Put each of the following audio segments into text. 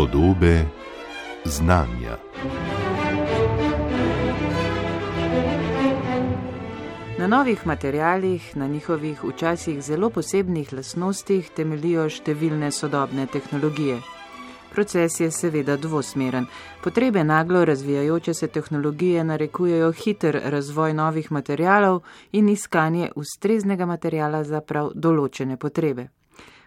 Podobe znanja. Na novih materialih, na njihovih včasih zelo posebnih lastnostih temeljijo številne sodobne tehnologije. Proces je seveda dvosmeren. Potrebe naglo razvijajoče se tehnologije narekujejo hiter razvoj novih materialov in iskanje ustreznega materiala za prav določene potrebe.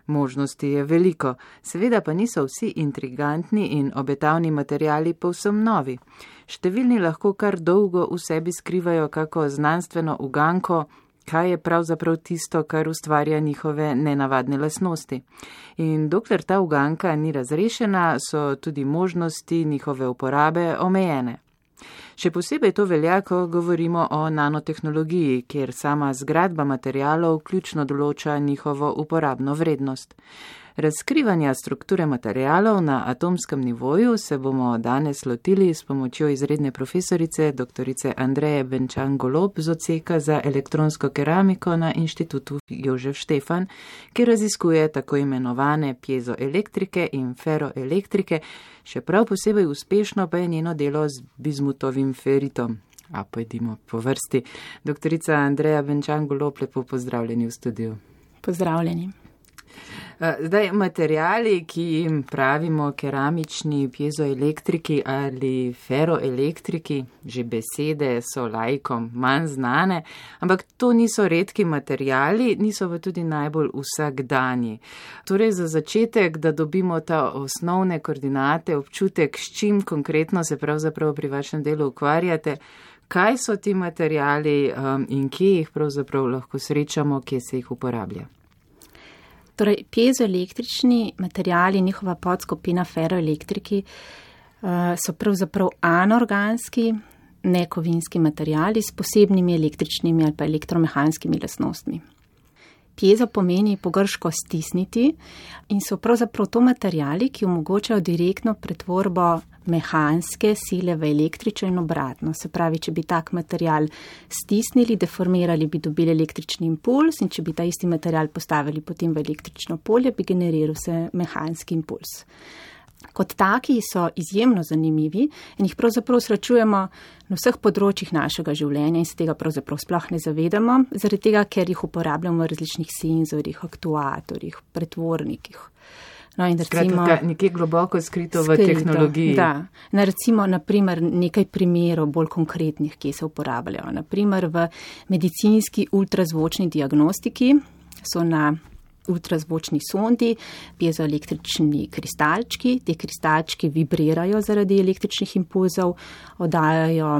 Možnosti je veliko, seveda pa niso vsi intrigantni in obetavni materiali povsem novi. Številni lahko kar dolgo v sebi skrivajo kako znanstveno uganko, kaj je pravzaprav tisto, kar ustvarja njihove nenavadne lastnosti. In dokler ta uganka ni razrešena, so tudi možnosti njihove uporabe omejene. Še posebej to velja, ko govorimo o nanotehnologiji, kjer sama zgradba materialov ključno določa njihovo uporabno vrednost. Razkrivanja strukture materialov na atomskem nivoju se bomo danes lotili s pomočjo izredne profesorice dr. Andreje Benčan-Golob z odseka za elektronsko keramiko na Inštitutu Jožef Štefan, ki raziskuje tako imenovane piezoelektrike in feroelektrike, še prav posebej uspešno pa je njeno delo z bizmutovim feritom. A pojdimo po vrsti. Dr. Andreja Benčan-Golob, lepo pozdravljeni v studiu. Pozdravljeni. Zdaj, materiali, ki jim pravimo keramični piezoelektriki ali feroelektriki, že besede so laikom manj znane, ampak to niso redki materiali, niso pa tudi najbolj vsakdanji. Torej, za začetek, da dobimo ta osnovne koordinate, občutek, s čim konkretno se pravzaprav pri vašem delu ukvarjate, kaj so ti materiali in kje jih pravzaprav lahko srečamo, kje se jih uporablja. Torej, piezoelektrični materiali, njihova podskupina feroelektriki so pravzaprav anorganski, nekovinski materiali s posebnimi električnimi ali pa elektromehanskimi lastnostmi. Piezo pomeni po grško stisniti in so pravzaprav to materiali, ki omogočajo direktno pretvorbo mehanske sile v električno in obratno. Se pravi, če bi tak material stisnili, deformirali, bi dobili električni impuls in če bi ta isti material postavili potem v električno polje, bi generiral se mehanski impuls. Kot taki so izjemno zanimivi in jih pravzaprav srečujemo na vseh področjih našega življenja in se tega pravzaprav sploh ne zavedamo, zaradi tega, ker jih uporabljamo v različnih senzorjih, aktuatorjih, pretvornikih. No, in recimo, skratka, nekje globoko skrito v tehnologiji. Da, recimo, naprimer, nekaj primerov bolj konkretnih, ki se uporabljajo. Naprimer, v medicinski ultrazvočni diagnostiki so na ultrazvočni sondi piezoelektrični kristalčki. Te kristalčki vibrirajo zaradi električnih impulzov, oddajajo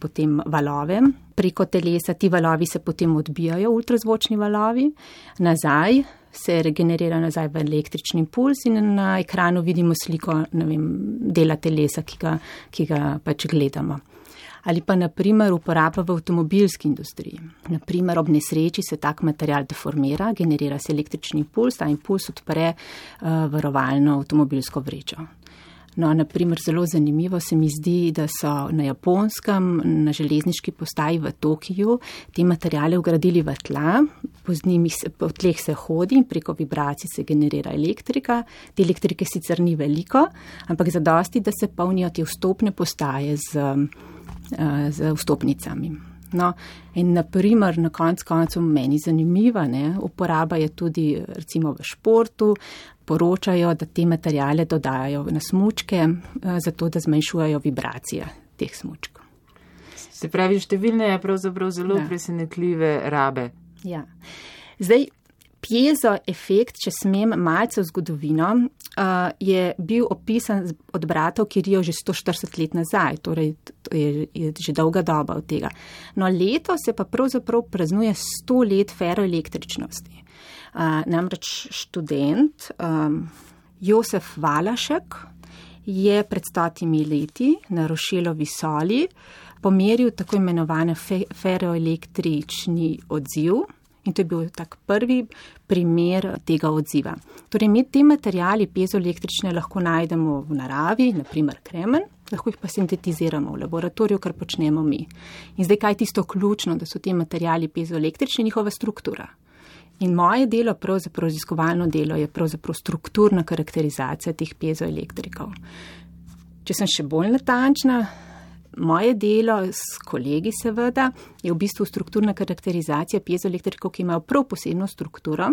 potem valove. Preko telesa ti valovi se potem odbijajo, ultrazvočni valovi, nazaj se regenerira nazaj v električni impuls in na ekranu vidimo sliko, dela telesa, ki ga pač gledamo. Ali pa naprimer uporaba v avtomobilski industriji. Naprimer ob nesreči se tak material deformira, generira se električni impuls, ta impuls odpre varovalno avtomobilsko vrečo. No, naprimer, zelo zanimivo se mi zdi, da so na Japonskem, na železniški postaji v Tokiju, te materiale vgradili v tla, po tleh se hodi in preko vibracij se generira elektrika. Te elektrike sicer ni veliko, ampak zadosti, da se polnijo te vstopne postaje z vstopnicami. No, in naprimer, na koncu meni zanimiva, uporaba je tudi recimo v športu, poročajo, da te materiale dodajajo na smučke, zato da zmanjšujejo vibracije teh smučkov. Se pravi, številne je pravzaprav zelo presenetljive rabe. Ja. Zdaj, piezoefekt, če smem malce v zgodovino, je bil opisan od bratov Kirijev že 140 let nazaj, torej je že dolga doba od tega. No, letos se pa pravzaprav praznuje 100 let feroelektričnosti. Namreč študent Josef Valašek je pred 100 leti na Rošelovi soli pomeril tako imenovane feroelektrični odziv. In to je bil tak prvi primer tega odziva. Torej, mi te materiali piezoelektrične lahko najdemo v naravi, naprimer kremen, lahko jih pa sintetiziramo v laboratoriju, kar počnemo mi. In zdaj, kaj je tisto ključno, da so ti materiali piezoelektrični, njihova struktura. In moje delo, pravzaprav raziskovalno delo, je pravzaprav strukturna karakterizacija teh piezoelektrikov. Če sem še bolj natančna, moje delo s kolegi seveda je v bistvu strukturna karakterizacija piezoelektrikov, ki imajo prav posebno strukturo,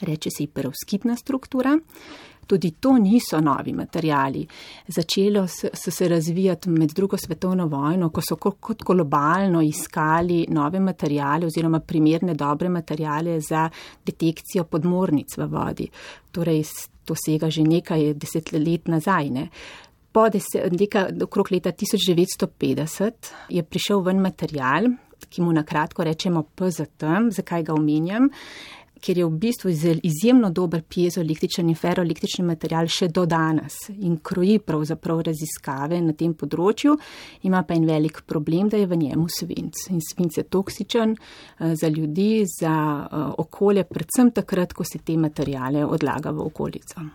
reče se perovskitna struktura. Tudi to niso novi materijali. Začelo so se razvijati med drugo svetovno vojno, ko so kot globalno iskali nove materijale oziroma primerne dobre materijale za detekcijo podmornic v vodi. Torej, to sega že nekaj desetlet nazaj, ne. Okrog leta 1950 je prišel ven materijal, ki mu na kratko rečemo PZT, zakaj ga omenjam, ker je v bistvu izjemno dober piezoelektričen in ferroelektrični material še do danes in kroji pravzaprav raziskave na tem področju, ima pa en velik problem, da je v njemu svinc. In svinc je toksičen za ljudi, za okolje, predvsem takrat, ko se te materijale odlaga v okolico.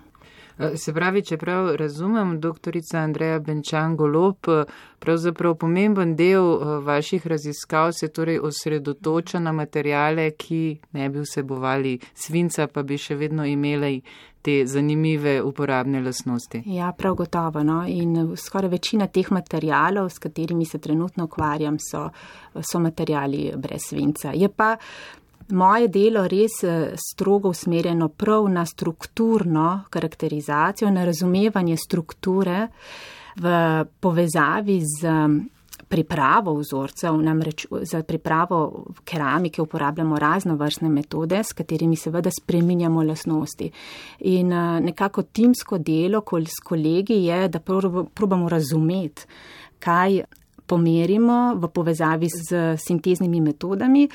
Se pravi, čeprav razumem, doktorica Andreja Benčan Golob, pravzaprav pomemben del vaših raziskav se torej osredotoča na materijale, ki ne bi vsebovali svinca, pa bi še vedno imeli te zanimive uporabne lastnosti. Ja, prav gotovo, no. In skoraj večina teh materijalov, s katerimi se trenutno ukvarjam, so materijali brez svinca. Je pa moje delo res strogo usmerjeno prav na strukturno karakterizacijo, na razumevanje strukture v povezavi z pripravo vzorcev, namreč za pripravo keramike uporabljamo raznovrstne metode, s katerimi seveda spreminjamo lastnosti. In nekako timsko delo s kolegi je, da probamo razumeti, kaj pomerimo v povezavi z sinteznimi metodami.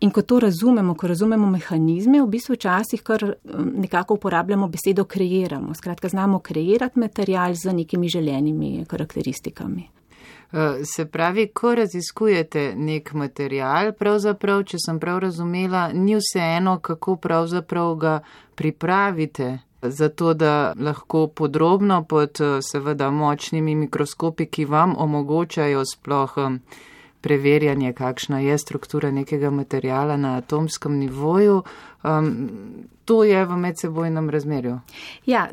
In ko to razumemo, ko razumemo mehanizme, v bistvu včasih kar nekako uporabljamo besedo kreiramo. Skratka, znamo kreirati material z nekimi želenimi karakteristikami. Se pravi, ko raziskujete nek material, pravzaprav, če sem prav razumela, ni vseeno, kako pravzaprav ga pripravite, zato da lahko podrobno pod seveda močnimi mikroskopi, ki vam omogočajo sploh preverjanje, kakšna je struktura nekega materijala na atomskem nivoju, to je v medsebojnem razmerju. Ja,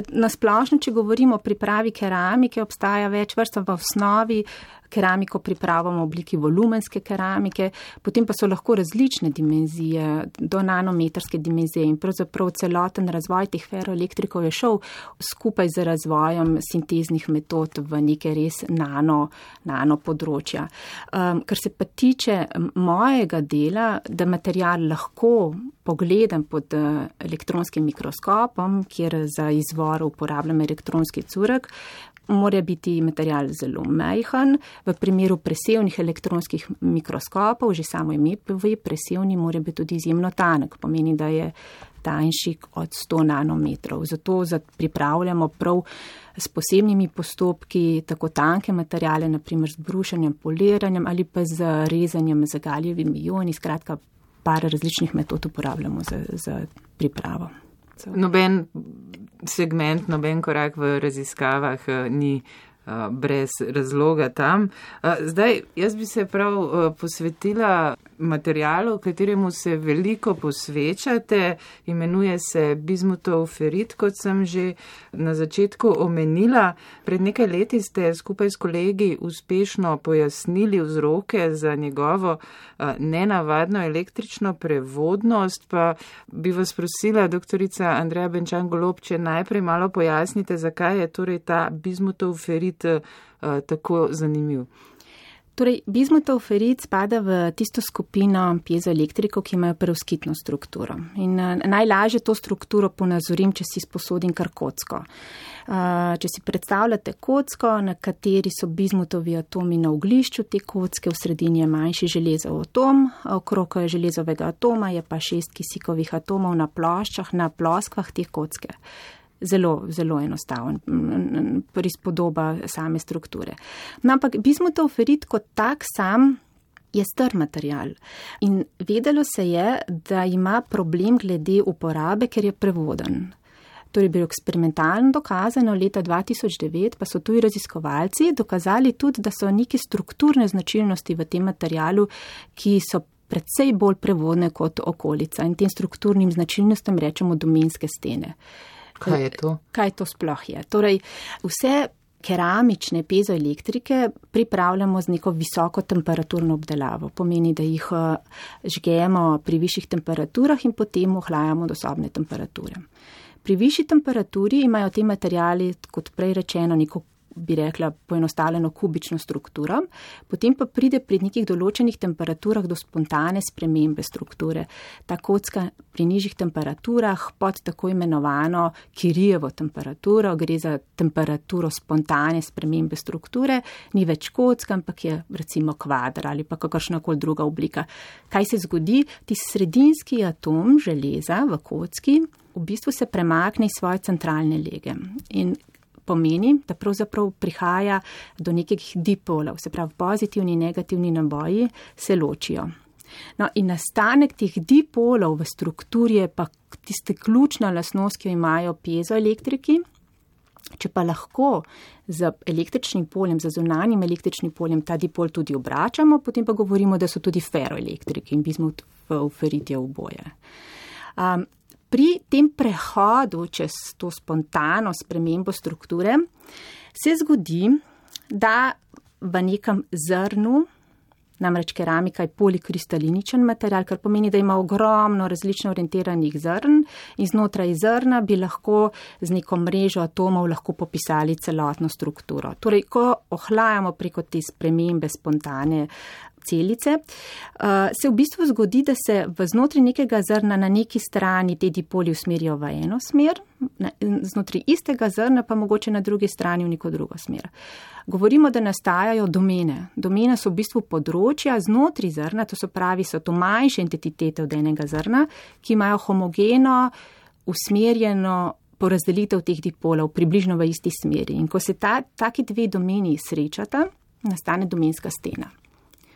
na splošno, če govorimo o pripravi keramike, obstaja več vrst v osnovi. Keramiko pripravamo v obliki volumenske keramike, potem pa so lahko različne dimenzije, do nanometrske dimenzije in pravzaprav celoten razvoj teh ferroelektrikov je šel skupaj z razvojem sinteznih metod v neke res nano področja. Kar se pa tiče mojega dela, da material lahko pogledam pod elektronskim mikroskopom, kjer za izvor uporabljam elektronski curek, mora biti material zelo majhen. V primeru presevnih elektronskih mikroskopov, že samo ime pove, presevni mora biti tudi izjemno tanek, pomeni, da je tanjši od 100 nanometrov. Zato pripravljamo prav s posebnimi postopki tako tanke materijale, naprimer z brušenjem, poliranjem ali pa z rezanjem z galijevimi ioni. Skratka, par različnih metod uporabljamo za pripravo. Noben segment, noben korak v raziskavah ni brez razloga tam. Zdaj, jaz bi se prav posvetila materialu, kateremu se veliko posvečate, imenuje se bizmutov ferit, kot sem že na začetku omenila. Pred nekaj leti ste skupaj s kolegi uspešno pojasnili vzroke za njegovo nenavadno električno prevodnost, pa bi vas prosila, doktorica Andreja Benčan Golob, če najprej malo pojasnite, zakaj je torej ta bizmutov ferit tako zanimiv. Torej, bizmutov ferit spada v tisto skupino piezoelektrikov, ki imajo perovskitno strukturo. In najlažje to strukturo ponazorim, če si sposodim kar kocko. Če si predstavljate kocko, na kateri so bizmutovi atomi na oglišču te kocke, v sredini je manjši železov atom, okrog železovega atoma je pa 6 kisikovih atomov na ploščah, na ploskvah te kocke. Zelo, zelo enostaven prispodoba same strukture. No, ampak bizmutov ferit kot tak sam je star material. In vedelo se je, da ima problem glede uporabe, ker je prevoden. To je bilo eksperimentalno dokazano leta 2009, pa so tuji raziskovalci dokazali tudi, da so neke strukturne značilnosti v tem materialu, ki so predvsej bolj prevodne kot okolica in tem strukturnim značilnostem rečemo domenske stene. Kaj je to? Kaj to sploh je? Torej, vse keramične piezoelektrike pripravljamo z neko visoko temperaturno obdelavo. Pomeni, da jih žgemo pri višjih temperaturah in potem ohlajamo do sobne temperature. Pri višji temperaturi imajo te materiali, kot prej rečeno, neko, bi rekla, poenostavljeno kubično strukturo, potem pa pride pri nekih določenih temperaturah do spontane spremembe strukture. Ta kocka pri nižjih temperaturah pod tako imenovano Curiejevo temperaturo, gre za temperaturo spontane spremembe strukture, ni več kocka, ampak je recimo kvadr ali pa kakršnakoli druga oblika. Kaj se zgodi? Ti sredinski atom železa v kocki v bistvu se premakne iz svoje centralne lege in pomeni, da pravzaprav prihaja do nekih dipolov, se pravi pozitivni in negativni naboji se ločijo. No, in nastanek teh dipolov v strukturi je pa tiste ključna lastnost, ki jo imajo piezoelektriki. Če pa lahko z električnim poljem, z zunanjim električnim poljem ta dipol tudi obračamo, potem pa govorimo, da so tudi feroelektriki in bismut v ferit je oboje. Pri tem prehodu čez to spontano spremembo strukture se zgodi, da v nekem zrnu, namreč keramika je polikristaliničen material, kar pomeni, da ima ogromno različno orientiranih zrn in znotraj zrna bi lahko z neko mrežo atomov lahko popisali celotno strukturo. Torej, ko ohlajamo preko te spremembe spontane celice, se v bistvu zgodi, da se v znotraj nekega zrna na neki strani te dipoli usmerijo v eno smer, znotraj istega zrna pa mogoče na drugi strani v neko drugo smer. Govorimo, da nastajajo domene. Domene so v bistvu področja znotraj zrna, to so to manjše entitete od enega zrna, ki imajo homogeno, usmerjeno porazdelitev teh dipolov približno v isti smeri. In ko se taki dve domeni srečata, nastane domenska stena.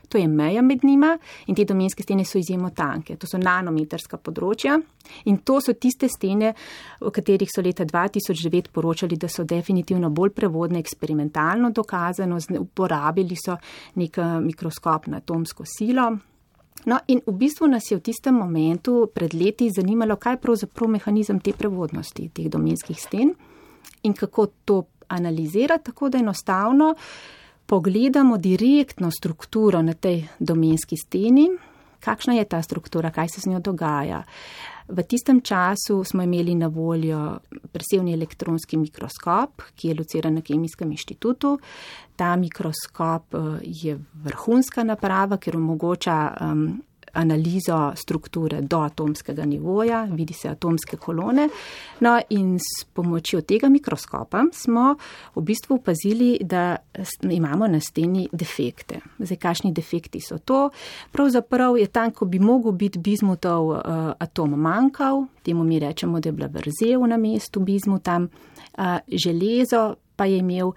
To je meja med njima in te domenske stene so izjemno tanke. To so nanometrska področja in to so tiste stene, o katerih so leta 2009 poročali, da so definitivno bolj prevodne, eksperimentalno dokazano, uporabili so nek mikroskop na atomsko silo. No in v bistvu nas je v tistem momentu pred leti zanimalo, kaj je pravzaprav mehanizem te prevodnosti, teh domenskih sten in kako to analizirati, tako da enostavno pogledamo direktno strukturo na tej domenski steni, kakšna je ta struktura, kaj se z njo dogaja. V tistem času smo imeli na voljo presevni elektronski mikroskop, ki je lociran na Kemijskem inštitutu. Ta mikroskop je vrhunska naprava, ker omogoča analizo strukture do atomskega nivoja, vidi se atomske kolone. No in s pomočjo tega mikroskopa smo v bistvu opazili, da imamo na steni defekte. Zdaj, kakšni defekti so to? Pravzaprav je tam, ko bi mogel biti bizmutov atom manjkal, temu mi rečemo, da je bila vrzel na mestu bizmuta, železo pa je imel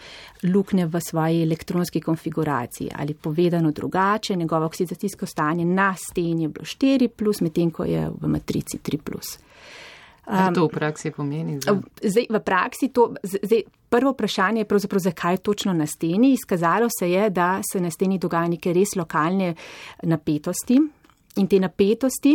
luknje v svoji elektronski konfiguraciji ali povedano drugače, njegovo oksidacijsko stanje na steni je bilo 4+, medtem ko je v matrici 3+. Kaj to v praksi pomeni? Zdaj, v praksi prvo vprašanje je pravzaprav, zakaj točno na steni. Izkazalo se je, da se na steni dogaja neke res lokalne napetosti in te napetosti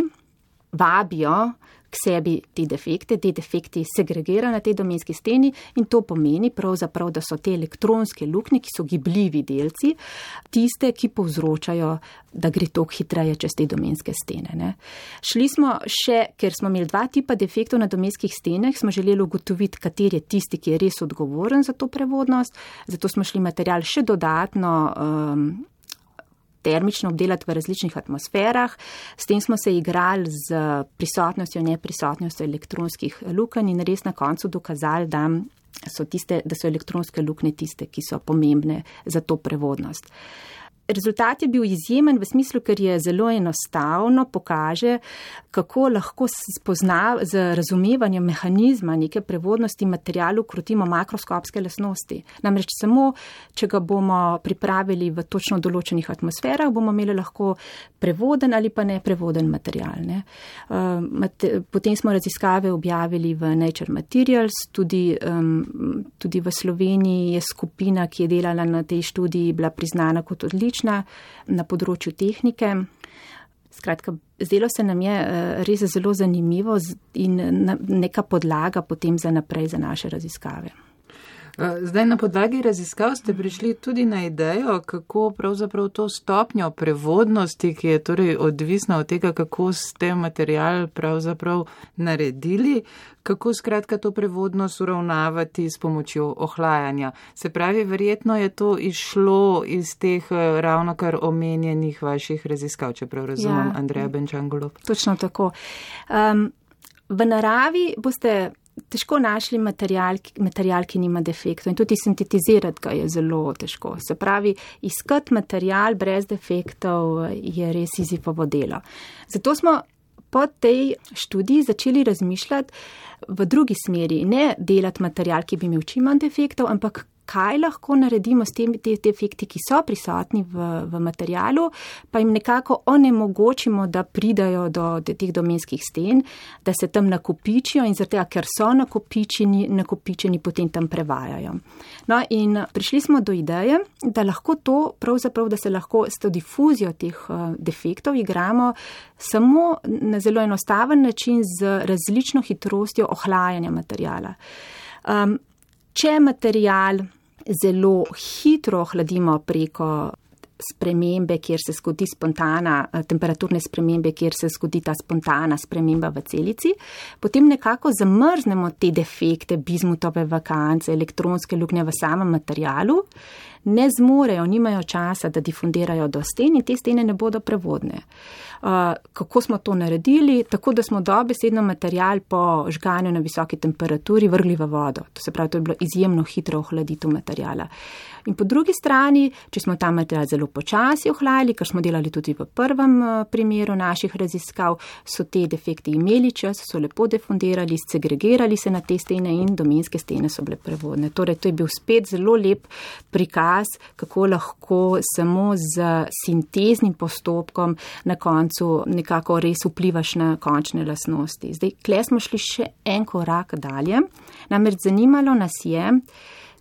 vabijo k sebi te defekti segregirajo na tej domenski steni in to pomeni pravzaprav, da so te elektronske luknje, ki so gibljivi delci, tiste, ki povzročajo, da gre tok hitreje čez te domenske stene. Ne. Šli smo še, ker smo imeli dva tipa defektov na domenskih stenah, smo želeli ugotoviti, kateri je tisti, ki je res odgovoren za to prevodnost, zato smo šli material še dodatno termično obdelati v različnih atmosferah. S tem smo se igrali z prisotnostjo in neprisotnostjo elektronskih lukenj in res na koncu dokazali, da so elektronske luknje tiste, ki so pomembne za to prevodnost. Rezultat je bil izjemen v smislu, ker je zelo enostavno pokaže, kako lahko spozna z razumevanjem mehanizma neke prevodnosti materialu krotimo makroskopske lastnosti. Namreč samo, če ga bomo pripravili v točno določenih atmosferah, bomo imeli lahko prevoden ali pa neprevoden material. Ne. Potem smo raziskave objavili v Nature Materials, tudi v Sloveniji je skupina, ki je delala na tej študiji, bila priznana kot odlična na področju tehnike. Skratka, zdelo se nam je res zelo zanimivo in neka podlaga potem za naprej za naše raziskave. Zdaj na podlagi raziskav ste prišli tudi na idejo, kako pravzaprav to stopnjo prevodnosti, ki je torej odvisna od tega, kako ste material pravzaprav naredili, kako skratka to prevodnost uravnavati s pomočjo ohlajanja. Se pravi, verjetno je to išlo iz teh ravnokar omenjenih vaših raziskav, čeprav razumem, Andreja Benčan-Golob. Točno tako. V naravi boste težko našli material, ki nima defektov in tudi sintetizirati ga je zelo težko. Se pravi, iskati material brez defektov je res Sizifovo delo. Zato smo po tej študiji začeli razmišljati v drugi smeri, ne delati material, ki bi imel čim manj defektov, ampak kaj lahko naredimo s temi defekti, ki so prisotni v materialu, pa jim nekako onemogočimo, da pridajo do teh domenskih sten, da se tam nakopičijo in zaradi tega, ker so nakopičeni, potem tam prevajajo. No in prišli smo do ideje, da lahko to, pravzaprav, da se lahko s to difuzijo teh defektov igramo samo na zelo enostaven način z različno hitrostjo ohlajanja materiala. Če material zelo hitro ohladimo preko spremembe, kjer se zgodi spontana, temperaturne spremembe, kjer se zgodi ta spontana sprememba v celici, potem nekako zamrznemo te defekte, bizmutove vakance, elektronske luknje v samem materialu, ne zmorejo, nimajo časa, da difundirajo do sten in te stene ne bodo prevodne. Kako smo to naredili? Tako, da smo dobesedno material po žganju na visoki temperaturi vrgli v vodo. To se pravi, to je bilo izjemno hitro ohladitev materijala. In po drugi strani, če smo ta material zelo počasi ohlajali, kar smo delali tudi v prvem primeru naših raziskav, so te defekti imeli čas, so lepo defundirali, segregirali se na te stene in domenske stene so bile prevodne. Torej, to je bil spet zelo lep prikaz, kako lahko samo z sinteznim postopkom na koncu nekako res vplivaš na končne lastnosti. Zdaj, kle smo šli še en korak dalje, namreč zanimalo nas je,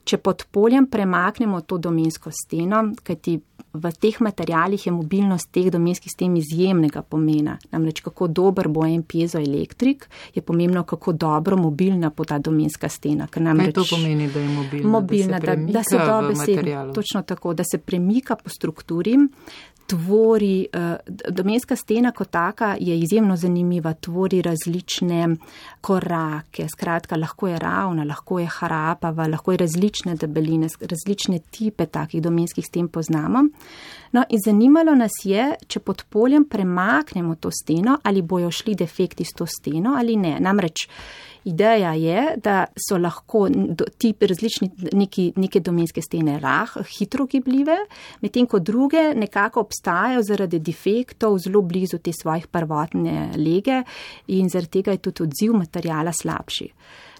če pod poljem premaknemo to domensko steno, kajti v teh materialih je mobilnost teh domenskih sten izjemnega pomena. Namreč kako dober bo en piezoelektrik, je pomembno, kako dobro mobilna bo ta domenska stena. Kaj to pomeni, da je mobilna? Mobilna, da se dobesedno, točno tako, da se premika po strukturi, tvori, domenska stena kot taka je izjemno zanimiva, tvori različne korake, skratka, lahko je ravna, lahko je harapava, lahko je različne debeline, različne tipe takih domenskih sten poznamo. No in zanimalo nas je, če pod poljem premaknemo to steno, ali bojo šli defekti s to steno ali ne. Namreč ideja je, da so lahko ti različni neke domenske stene hitro gibljive, medtem ko druge nekako obstajajo zaradi defektov zelo blizu te svojih prvotne lege in zaradi tega je tudi odziv materijala slabši.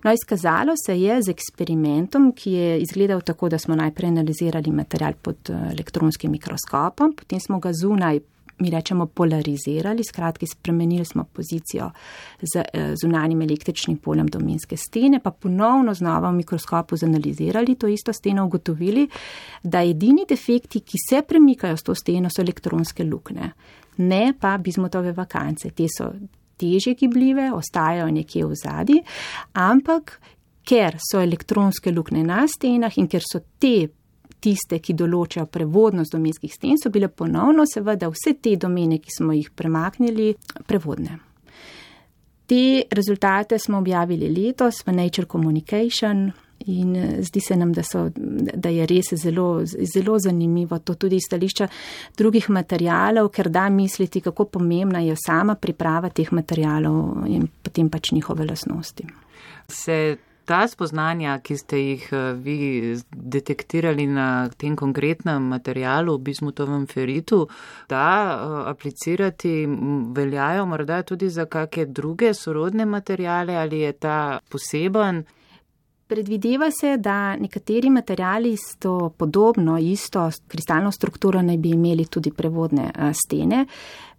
No, izkazalo se je z eksperimentom, ki je izgledal tako, da smo najprej analizirali material pod elektronskim mikroskopom, potem smo ga zunaj, mi rečemo, polarizirali, skratka spremenili smo pozicijo z zunanjim električnim poljem domenske stene, pa ponovno znova v mikroskopu zanalizirali to isto steno, ugotovili, da edini defekti, ki se premikajo s to steno, so elektronske luknje, ne pa bizmutove vakance. Te so težje gibljive, ostajajo nekje v zadnji, ampak ker so elektronske luknje na stenah in ker so tiste, ki določajo prevodnost domenskih sten, so bile ponovno seveda vse te domene, ki smo jih premaknili, prevodne. Te rezultate smo objavili letos v Nature Communication in zdi se nam, da je res zelo, zelo zanimivo to tudi iz stališča drugih materialov, ker da misliti, kako pomembna je sama priprava teh materialov in potem pač njihove lastnosti. Ta spoznanja, ki ste jih vi detektirali na tem konkretnem materialu, bizmutovem feritu, da aplicirati veljajo morda tudi za kakšne druge sorodne materiale ali je ta poseben? Predvideva se, da nekateri materiali s to podobno, isto kristalno strukturo naj bi imeli tudi prevodne stene.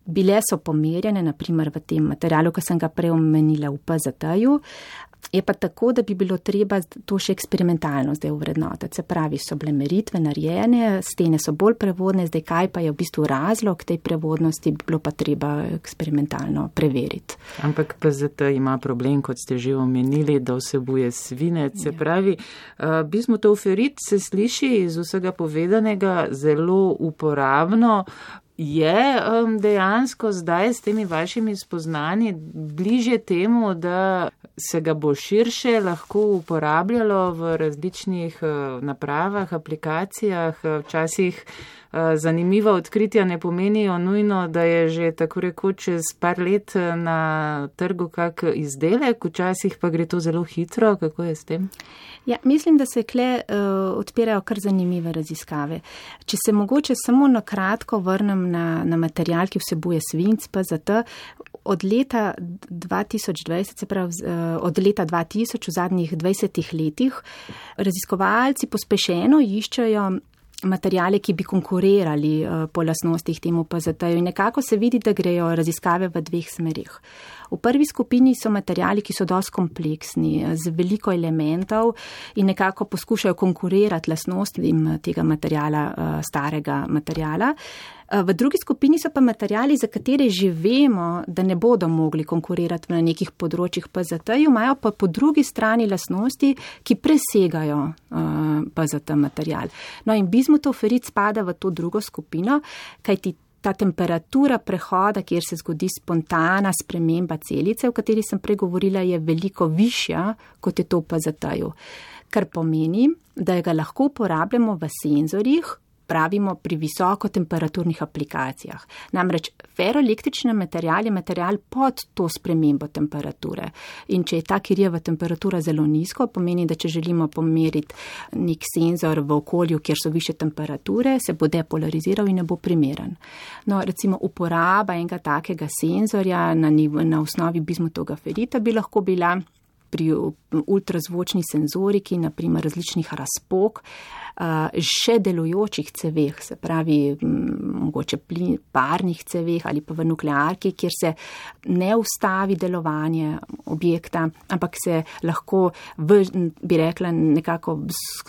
Bile so pomerjene, naprimer v tem materialu, ki sem ga prej omenila v PZT-ju. Je pa tako, da bi bilo treba to še eksperimentalno zdaj uvrednotiti. Se pravi, so bile meritve narejene, stene so bolj prevodne, zdaj kaj pa je v bistvu razlog tej prevodnosti, bi bilo pa treba eksperimentalno preveriti. Ampak PZT ima problem, kot ste že omenili, da vsebuje svinec. Se pravi, bismutovferit se sliši iz vsega povedanega zelo uporabno. Je dejansko zdaj s temi vašimi spoznanji bližje temu, da se ga bo širše lahko uporabljalo v različnih napravah, aplikacijah, včasih zanimiva odkritja ne pomenijo nujno, da je že tako rekoč čez par let na trgu kak izdelek, včasih pa gre to zelo hitro. Kako je s tem? Ja, mislim, da se kle odpirajo kar zanimive raziskave. Če se mogoče samo na kratko vrnem na material, ki vsebuje svinc, PZT, od leta 2020, se pravi od leta 2000 v zadnjih 20 letih, raziskovalci pospešeno iščejo materijale, ki bi konkurirali po lastnostih temu PZT-ju in nekako se vidi, da grejo raziskave v dveh smerih. V prvi skupini so materijali, ki so dosti kompleksni, z veliko elementov in nekako poskušajo konkurirati lastnostim tega materijala, starega materijala. V drugi skupini so pa materijali, za katere že vemo, da ne bodo mogli konkurirati na nekih področjih PZT-ju, imajo pa po drugi strani lastnosti, ki presegajo PZT materijal. No in bismutovferit spada v to drugo skupino, kajti ta temperatura prehoda, kjer se zgodi spontana sprememba celice, o kateri sem pregovorila, je veliko višja, kot je to v PZT-ju. Kar pomeni, da ga lahko uporabljamo v senzorjih, pravimo pri visokotemperaturnih aplikacijah. Namreč ferroelektrični material je material pod to spremembo temperature. In če je ta Curieova temperatura zelo nizko, pomeni, da če želimo pomeriti nek senzor v okolju, kjer so više temperature, se bo depolariziral in ne bo primeren. No, recimo uporaba enega takega senzorja na osnovi bismutovega ferita bi lahko bila pri ultrazvočni senzoriki, naprimer različnih razpok, še delujočih ceveh, se pravi mogoče parnih ceveh ali pa v nuklearki, kjer se ne ustavi delovanje objekta, ampak se lahko bi rekla nekako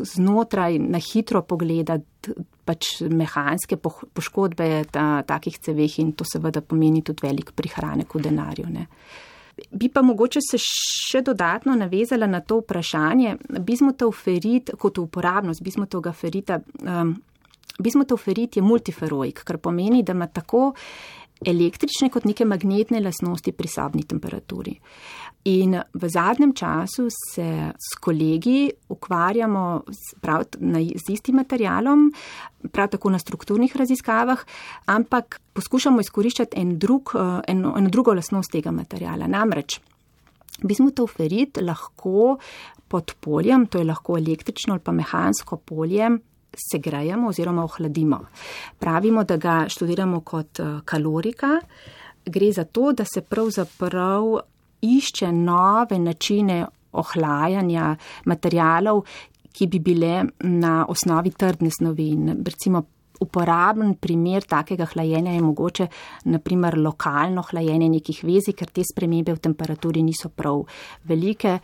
znotraj na hitro pogledati pač mehanske poškodbe takih ceveh in to seveda pomeni tudi velik prihranek v denarju, ne. Bi pa mogoče se še dodatno navezala na to vprašanje. Bismutovferit kot uporabnost bismutovega ferita. Bismutovferit je multiferoik, kar pomeni, da ima tako električne kot neke magnetne lastnosti pri sobni temperaturi. In v zadnjem času se s kolegi ukvarjamo z istim materialom, prav tako na strukturnih raziskavah, ampak poskušamo izkoriščati eno drugo lastnost tega materiala. Namreč bismutovferit lahko pod poljem, to je lahko električno ali pa mehansko polje, segrejemo oziroma ohladimo. Pravimo, da ga študiramo kot kalorika. Gre za to, da se pravzaprav išče nove načine ohlajanja materialov, ki bi bile na osnovi trdne snovi. Recimo uporaben primer takega hlajenja je mogoče naprimer lokalno hlajenje nekih vezij, ker te spremembe v temperaturi niso prav velike.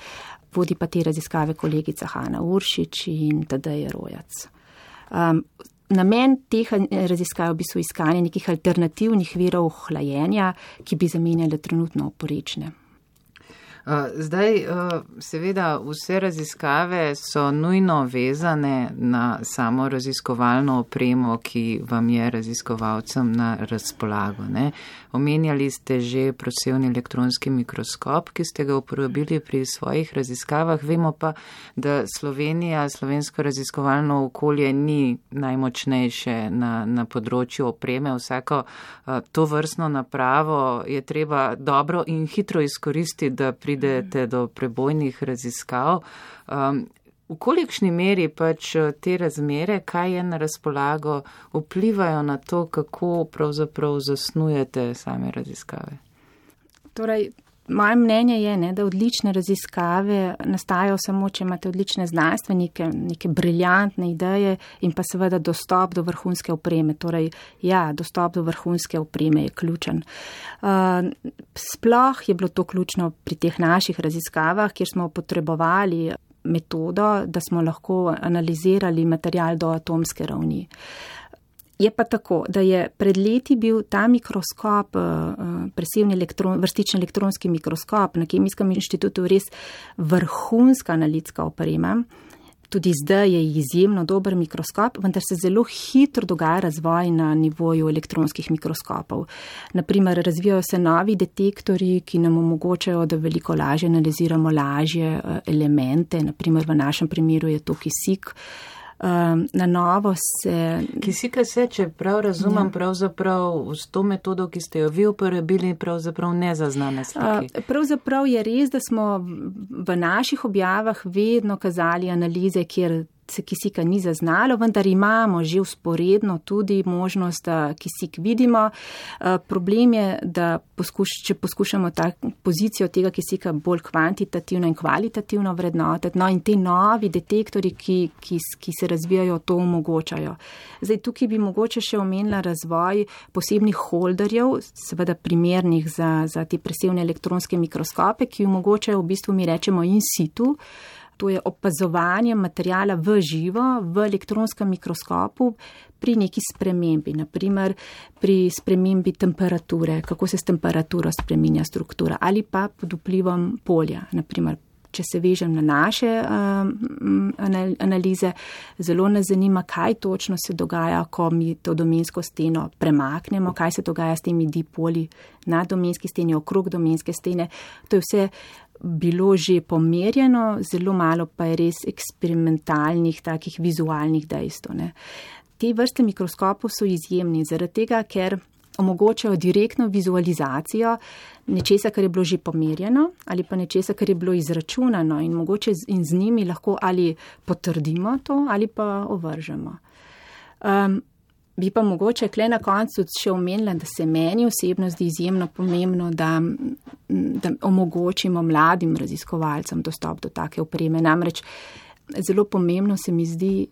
Vodi pa te raziskave kolegica Hanna Uršič in Tadej Rojac. Namen teh raziskav bi so iskanje nekih alternativnih virov hlajenja, ki bi zamenjale trenutno oporečne. Zdaj, seveda, vse raziskave so nujno vezane na samo raziskovalno opremo, ki vam je raziskovalcem na razpolago, ne? Omenjali ste že prosevni elektronski mikroskop, ki ste ga uporabili pri svojih raziskavah. Vemo pa, da slovensko raziskovalno okolje ni najmočnejše na področju opreme. Vsako tovrstno napravo je treba dobro in hitro izkoristiti, da pridete do prebojnih raziskav. V kolikšni meri pač te razmere, kaj je na razpolago, vplivajo na to, kako pravzaprav zasnujete same raziskave? Torej, Moje mnenje je, da odlične raziskave nastajajo samo, če imate odlične znanstvenike, neke briljantne ideje in pa seveda dostop do vrhunske opreme. Torej, dostop do vrhunske opreme je ključen. Sploh je bilo to ključno pri teh naših raziskavah, kjer smo potrebovali metodo, da smo lahko analizirali material do atomske ravni. Je pa tako, da je pred leti bil ta mikroskop, presevni vrstični elektronski mikroskop na Kemijskem inštitutu res vrhunska analitska oprema. Tudi zdaj je izjemno dober mikroskop, vendar se zelo hitro dogaja razvoj na nivoju elektronskih mikroskopov. Naprimer, razvijajo se novi detektorji, ki nam omogočajo, da veliko lažje analiziramo lažje elemente. Naprimer, v našem primeru je to kisik. Na novo se... Kisika se, če prav razumem, pravzaprav s to metodo, ki ste jo vi uporabili, pravzaprav ne zaznane slike. Pravzaprav je res, da smo v naših objavah vedno kazali analize, kjer se kisika ni zaznalo, vendar imamo že vzporedno tudi možnost, da kisik vidimo. Problem je, da če poskušamo pozicijo tega kisika bolj kvantitativno in kvalitativno vrednotiti, in te novi detektori, ki se razvijajo, to omogočajo. Zdaj, tukaj bi mogoče še omenila razvoj posebnih holderjev, seveda primernih za te presevne elektronske mikroskope, ki omogočajo v bistvu, mi rečemo, in situ. To je opazovanje materijala v živo, v elektronskem mikroskopu pri neki spremembi, naprimer pri spremembi temperature, kako se s temperaturo spreminja struktura ali pa pod vplivom polja. Naprimer, če se vežem na naše analize, zelo nas zanima, kaj točno se dogaja, ko mi to domensko steno premaknemo, kaj se dogaja s temi dipoli na domenski steni, okrog domenske stene. To je vse bilo že pomerjeno, zelo malo pa je res eksperimentalnih, takih vizualnih dejstev. Te vrste mikroskopov so izjemni, zaradi tega, ker omogočajo direktno vizualizacijo nečesa, kar je bilo že pomerjeno, ali pa nečesa, kar je bilo izračunano in mogoče in z njimi lahko ali potrdimo to, ali pa ovržemo. Bi pa mogoče kle na koncu še omenila, da se meni osebno zdi izjemno pomembno, da omogočimo mladim raziskovalcem dostop do take opreme. Namreč zelo pomembno se mi zdi,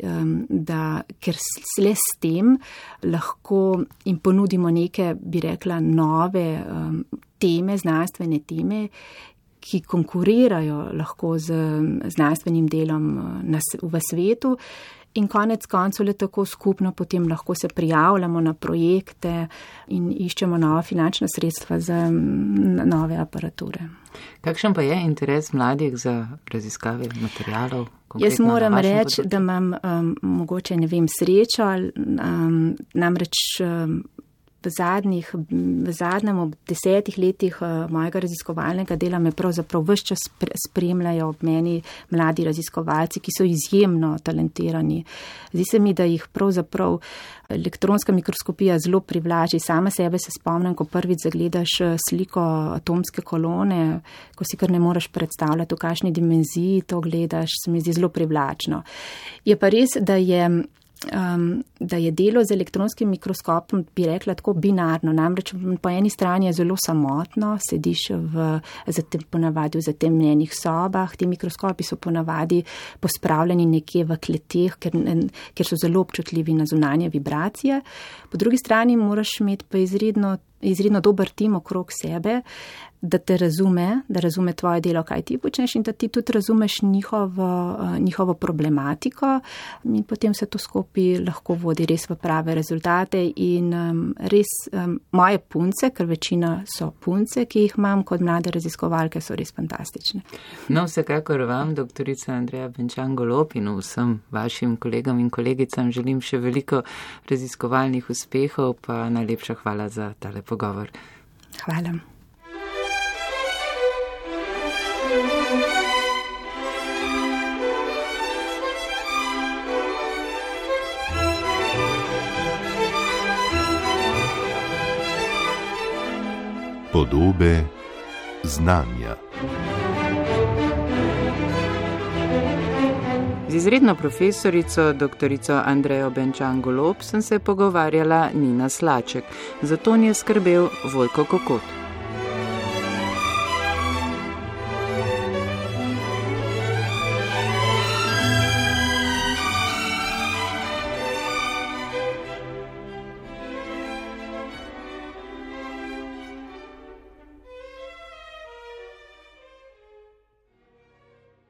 da ker le s tem lahko jim ponudimo neke, bi rekla, nove teme, znanstvene teme, ki konkurirajo lahko z znanstvenim delom v svetu. In konec koncev le tako skupno potem lahko se prijavljamo na projekte in iščemo nova finančna sredstva za nove aparature. Kakšen pa je interes mladih za raziskave materialov? Jaz moram reči, da imam mogoče, srečo, namreč v zadnjem 10 letih mojega raziskovalnega dela me pravzaprav ves čas spremljajo ob meni mladi raziskovalci, ki so izjemno talentirani. Zdi se mi, da jih pravzaprav elektronska mikroskopija zelo privlači. Sama sebe se spomnim, ko prvič zagledaš sliko atomske kolone, ko si kar ne moreš predstavljati, v kakšni dimenziji to gledaš, se mi zdi zelo privlačno. Je pa res, da je delo z elektronskim mikroskopom, bi rekla, tako binarno. Namreč po eni strani je zelo samotno, sediš ponavadi v zatemnjenih sobah, ti mikroskopi so ponavadi pospravljeni nekje v kleteh, ker so zelo občutljivi na zunanje vibracije. Po drugi strani moraš imeti pa izredno dober tim okrog sebe, da te razume tvoje delo, kaj ti počneš in da ti tudi razumeš njihovo problematiko in potem se to skupaj lahko vodi res v prave rezultate in res moje punce, ker večina so punce, ki jih imam kot mlade raziskovalke, so res fantastične. No, vsekakor vam, doktorica Andreja Benčan Golob in vsem vašim kolegom in kolegicam želim še veliko raziskovalnih uspehov, pa najlepša hvala za tale pogovor. Hvala. Podobe znanja. Z izredno profesorico, doktorico Andrejo Benčan Golob, sem se pogovarjala Nina Slaček. Za to je skrbel Vojko Kokot.